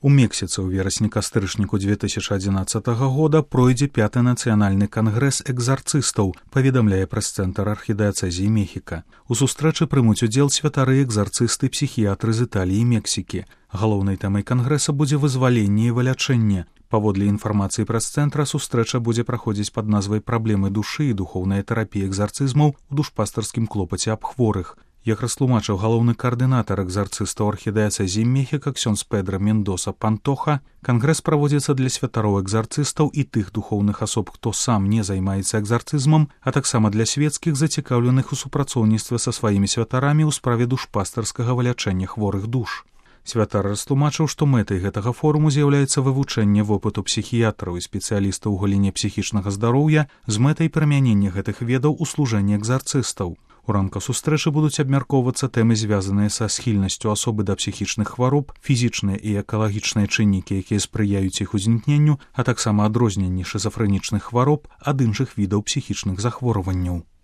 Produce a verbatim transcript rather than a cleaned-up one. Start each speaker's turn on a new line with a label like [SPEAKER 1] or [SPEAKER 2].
[SPEAKER 1] У Мексіцы ў верасні-кастрычніку две тысячи одиннадцатого года пройдзе пяты нацыянальны кангрэс экзарцыстаў, паведамляе прэс-цэнтр архідыяцэзіі Мехіка. У сустрэчы прымуць удзел святары экзарцысты псіхіятры з Італіі і Мексікі. Галоўнай тэмай кангрэса будзе вызваленне і вылячэнне. Паводле інфармацыі прэс-цэнтра, сустрэча будзе праходзіць пад назвай «Праблемы душы і духоўная тэрапія экзарцызмаў у душпастарскім клопаце аб хворых». Як растлумачыў галоўны каардынатар экзарцыстаў архідыяцэзіі Мехіка ксёндз Педро Мендоса Пантоха, кангрэс праводзіцца для святароў экзарцыстаў і тых духоўных асоб, хто сам не займаецца экзарцызмам, а таксама для свецкіх, зацікаўленых у супрацоўніцтве са сваімі святарамі ў справе душпастарскага вылячэння хворых душ. Святар растлумачыў, што мэтай гэтага форуму з'яўляецца вывучэнне вопыту псіхіятраў і спецыялістаў у галіне псіхічнага здароўя з мэтай прымянення гэтых ведаў у служэнні экзарцыстаў. У рамках сустрэчы будуць абмяркоўвацца тэмы, звязаныя са схільнасцю асобы да псіхічных хвароб, фізічныя і экалагічныя чыннікі, якія спрыяюць іх узнікненню, а таксама адрозненні шызафрэнічных хвароб ад іншых відаў псіхічных захворванняў.